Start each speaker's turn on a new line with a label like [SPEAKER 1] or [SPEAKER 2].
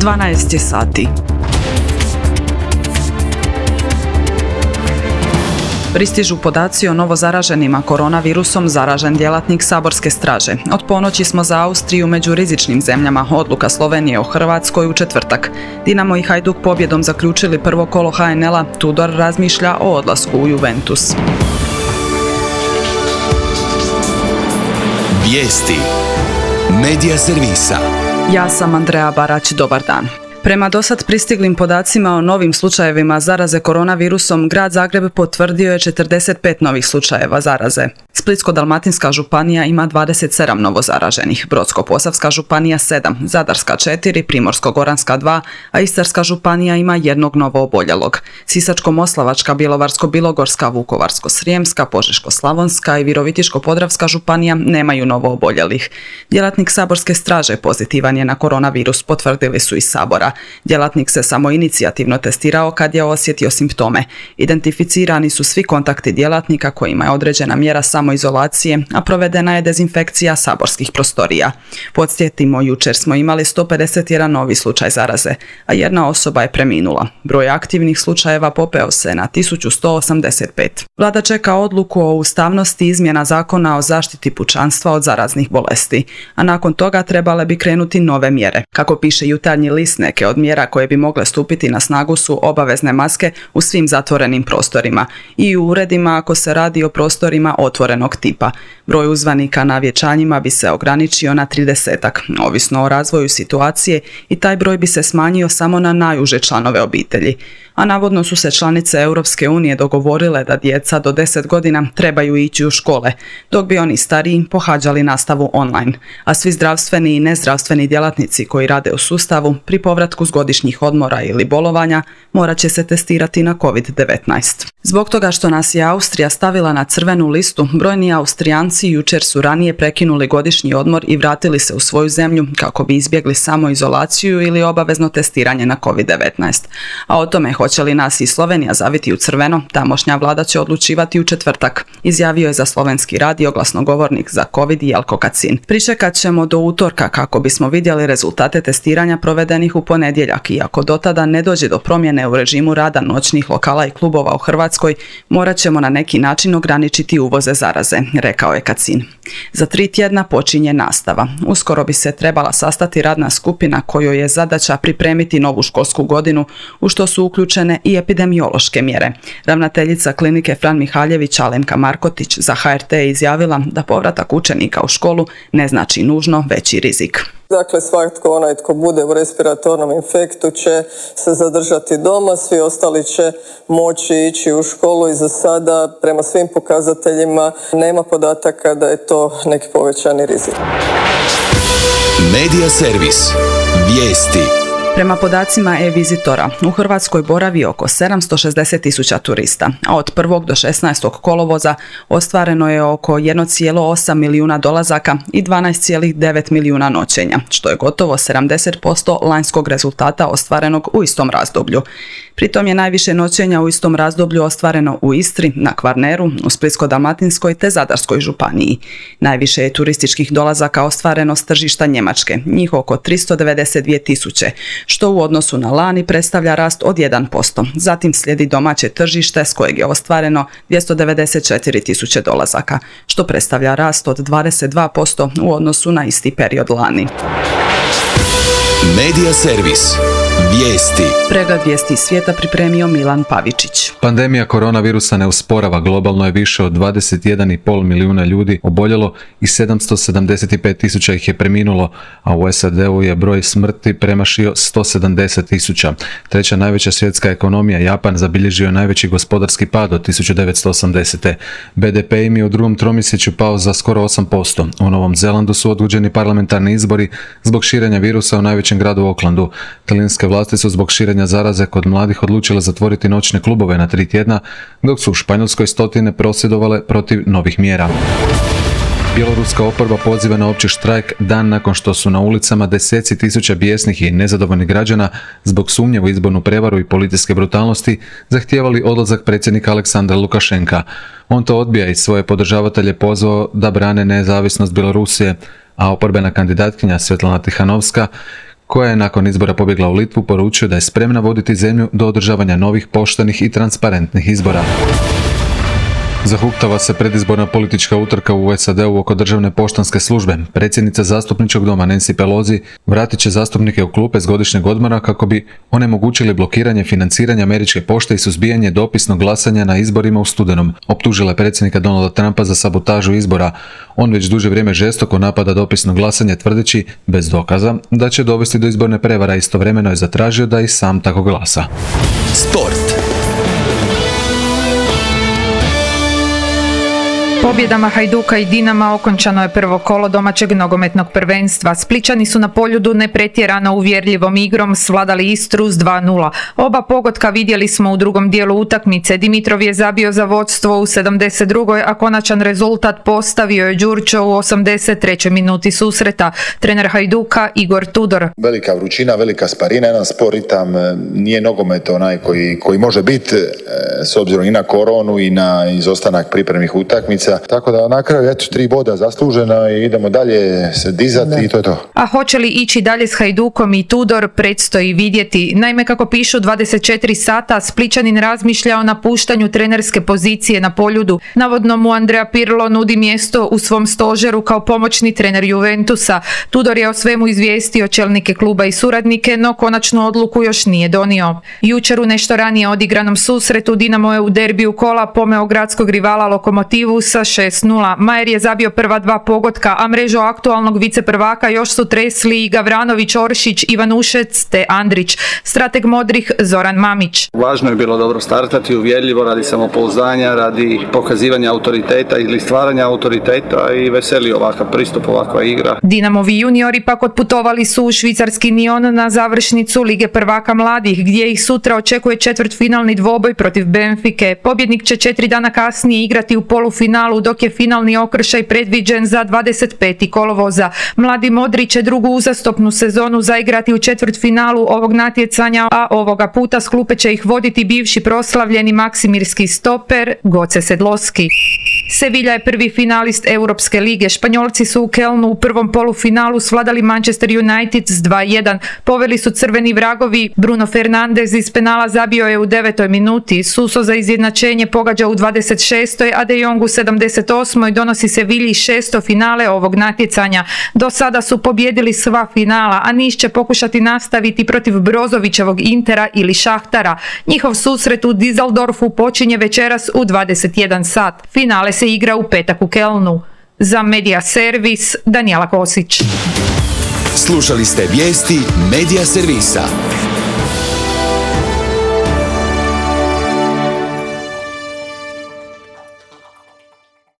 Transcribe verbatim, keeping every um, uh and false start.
[SPEAKER 1] dvanaest je sati. Pristižu podaci o novozaraženima koronavirusom zaražen djelatnik saborske straže. Od ponoći smo za Austriju među rizičnim zemljama, odluka Slovenije o Hrvatskoj u četvrtak. Dinamo i Hajduk pobjedom zaključili prvo kolo ha en el-a, Tudor razmišlja o odlasku u Juventus.
[SPEAKER 2] Vijesti Medija servisa.
[SPEAKER 1] Ja sam Andreja Barać, dobar dan. Prema dosad pristiglim podacima o novim slučajevima zaraze koronavirusom, grad Zagreb potvrdio je četrdeset pet novih slučajeva zaraze. Splitsko-dalmatinska županija ima dvadeset sedam novozaraženih, Brodsko-posavska županija sedam, Zadarska četiri, Primorsko-goranska dva, a Istarska županija ima jednog novooboljelog. Sisačko-moslavačka, Bjelovarsko-bilogorska, Vukovarsko-srijemska, Požeško-slavonska i Virovitičko-podravska županija nemaju novooboljelih. Djelatnik saborske straže pozitivan je na koronavirus, potvrdili su iz Sabora. Djelatnik se samoinicijativno testirao kad je osjetio simptome. Identificirani su svi kontakti djelatnika kojima je određena mjera samoizolacije, a provedena je dezinfekcija saborskih prostorija. Podsjetimo, jučer smo imali sto pedeset jedan novi slučaj zaraze, a jedna osoba je preminula. Broj aktivnih slučajeva popeo se na tisuću sto osamdeset pet. Vlada čeka odluku o ustavnosti izmjena zakona o zaštiti pučanstva od zaraznih bolesti, a nakon toga trebale bi krenuti nove mjere. Kako piše Jutarnji list, neke od mjera koje bi mogle stupiti na snagu su obavezne maske u svim zatvorenim prostorima i u uredima ako se radi o prostorima otvorenog tipa. Broj uzvanika na vjenčanjima bi se ograničio na tridesetak, ovisno o razvoju situacije, i taj broj bi se smanjio samo na najuže članove obitelji. A navodno su se članice Europske unije dogovorile da djeca do deset godina trebaju ići u škole, dok bi oni stariji pohađali nastavu online, a svi zdravstveni i nezdravstveni djelatnici koji rade u sustavu pri povratku s godišnjih odmora ili bolovanja morat će se testirati na kovid devetnaest. Zbog toga što nas je Austrija stavila na crvenu listu, brojni Austrijanci jučer su ranije prekinuli godišnji odmor i vratili se u svoju zemlju kako bi izbjegli samoizolaciju ili obavezno testiranje na kovid devetnaest. A o tome hoće li nas i Slovenija zaviti u crveno, tamošnja vlada će odlučivati u četvrtak, izjavio je za slovenski radio glasnogovornik za covid Jelko Kacin. Pričekat ćemo do utorka kako bismo vidjeli rezultate testiranja provedenih u ponedjeljak, i ako do tada ne dođe do promjene u režimu rada noćnih lokala i klubova u Hrvatskoj, morat ćemo na neki način ograničiti uvoze zaraze, rekao je Kacin. Za tri tjedna počinje nastava. Uskoro bi se trebala sastati radna skupina kojoj je zadaća pripremiti novu školsku godinu, u što su uključene i epidemiološke mjere. Ravnateljica klinike Fran Mihaljević Alenka Markotić za ha er te je izjavila da povratak učenika u školu ne znači nužno veći rizik.
[SPEAKER 3] Dakle, svatko onaj tko bude u respiratornom infektu će se zadržati doma, svi ostali će moći ići u školu i za sada prema svim pokazateljima nema podataka da je to neki povećani rizik.
[SPEAKER 2] Medija servis. Vijesti.
[SPEAKER 1] Prema podacima e-vizitora, u Hrvatskoj boravi oko sedamsto šezdeset tisuća turista, a od prvog do šesnaestog kolovoza ostvareno je oko jedan zarez osam milijuna dolazaka i dvanaest zarez devet milijuna noćenja, što je gotovo sedamdeset posto lanjskog rezultata ostvarenog u istom razdoblju. Pritom je najviše noćenja u istom razdoblju ostvareno u Istri, na Kvarneru, u Splitsko-dalmatinskoj te Zadarskoj županiji. Najviše je turističkih dolazaka ostvareno s tržišta Njemačke, njih oko tristo devedeset dvije tisuće, što u odnosu na lani predstavlja rast od jedan posto. Zatim slijedi domaće tržište s kojeg je ostvareno dvjesto devedeset četiri tisuće dolazaka, što predstavlja rast od dvadeset dva posto u odnosu na isti period lani.
[SPEAKER 2] Medija servis. Vijesti.
[SPEAKER 1] Pregled vijesti svijeta pripremio Milan Pavičić.
[SPEAKER 4] Pandemija koronavirusa ne usporava, globalno je više od dvadeset jedan zarez pet milijuna ljudi oboljelo i sedamsto sedamdeset pet tisuća ih je preminulo, a u es a de-u je broj smrti premašio sto sedamdeset tisuća. Treća najveća svjetska ekonomija, Japan, zabilježio je najveći gospodarski pad od tisuću devetsto osamdesete. be de pe im je u drugom tromjesečju pao za skoro osam posto. U Novom Zelandu su odgođeni parlamentarni izbori zbog širenja virusa u najvećem gradu Aucklandu. Talijanske vlasti su zbog širenja zaraze kod mladih odlučile zatvoriti noćne klubove na tri tjedna, dok su u Španjolskoj stotine prosvjedovale protiv novih mjera. Bjeloruska oporba poziva na opći štrajk dan nakon što su na ulicama deseci tisuća bijesnih i nezadovoljnih građana zbog sumnje u izbornu prevaru i policijske brutalnosti zahtijevali odlazak predsjednika Aleksandra Lukašenka. On to odbija i svoje podržavatelje pozvao da brane nezavisnost Bjelorusije, a oporbena kandidatkinja Svetlana Tihanovska, koja je nakon izbora pobjegla u Litvu, poručio da je spremna voditi zemlju do održavanja novih, poštenih i transparentnih izbora. Zahuktava se predizborna politička utrka u S A D-u oko državne poštanske službe. Predsjednica zastupničkog doma Nancy Pelosi vratit će zastupnike u klupe s godišnjeg odmora kako bi onemogućili blokiranje financiranja američke pošte i suzbijanje dopisnog glasanja na izborima u studenom. Optužila je predsjednika Donalda Trumpa za sabotažu izbora. On već duže vrijeme žestoko napada dopisno glasanje, tvrdeći, bez dokaza, da će dovesti do izborne prevara. Istovremeno je zatražio da i sam tako glasa.
[SPEAKER 2] Sport.
[SPEAKER 5] Pobjedama Hajduka i Dinama okončano je prvo kolo domaćeg nogometnog prvenstva. Splićani su na Poljudu nepretjerano uvjerljivom igrom svladali Istru s dva nula. Oba pogotka vidjeli smo u drugom dijelu utakmice. Dimitrov je zabio za vodstvo u sedamdeset drugoj a konačan rezultat postavio je Đurčo u osamdeset trećoj minuti susreta. Trener Hajduka Igor Tudor.
[SPEAKER 6] Velika vrućina, velika sparina, jedan spor ritam, nije nogomet onaj koji, koji može biti s obzirom i na koronu i na izostanak pripremnih utakmica. Tako da na kraju eto tri boda zaslužena i idemo dalje se dizati i to je to.
[SPEAKER 5] A hoće li ići dalje s Hajdukom i Tudor predstoji vidjeti. Naime, kako pišu dvadeset četiri sata, Splićanin razmišlja o napuštanju trenerske pozicije na Poljudu. Navodno mu Andrea Pirlo nudi mjesto u svom stožeru kao pomoćni trener Juventusa. Tudor je o svemu izvijestio čelnike kluba i suradnike, no konačnu odluku još nije donio. Jučer u nešto ranije odigranom susretu Dinamo je u derbiju kola pomeo gradskog rivala Lokomotivu sa šest nula. Majer je zabio prva dva pogotka, a mrežu aktualnog viceprvaka još su tresli i Gavranović, Oršić, Ivanušec te Andrić. Strateg modrih Zoran Mamić.
[SPEAKER 7] Važno je bilo dobro startati, uvjerljivo, radi samopouzdanja, radi pokazivanja autoriteta ili stvaranja autoriteta i veseli ovakav pristup, ovakva igra.
[SPEAKER 5] Dinamovi juniori pak otputovali su u švicarski Nyon na završnicu Lige prvaka mladih, gdje ih sutra očekuje četvrtfinalni dvoboj protiv Benfike. Pobjednik će četiri dana kasnije igrati u polufinalu, dok je finalni okršaj predviđen za dvadeset petog kolovoza. Mladi modri će drugu uzastopnu sezonu zaigrati u četvrtfinalu ovog natjecanja, a ovoga puta s klupe će ih voditi bivši proslavljeni maksimirski stoper Goce Sedloski. Sevilla je prvi finalist Europske lige. Španjolci su u Kelnu u prvom polufinalu svladali Manchester United s dva jedan. Poveli su crveni vragovi. Bruno Fernandes iz penala zabio je u devetoj minuti. Suso za izjednačenje pogađa u dvadeset šestoj a De Jong u sedamdeset osmoj donosi Sevilji šesto finale ovog natjecanja. Do sada su pobjedili sva finala, a Niš će pokušati nastaviti protiv Brozovićevog Intera ili Šahtara. Njihov susret u Düsseldorfu počinje večeras u dvadeset jedan sat. Finale se igra u petak u Kelnu. Za Media Servis, Danijela Kosić.
[SPEAKER 2] Slušali ste vijesti Media Servisa.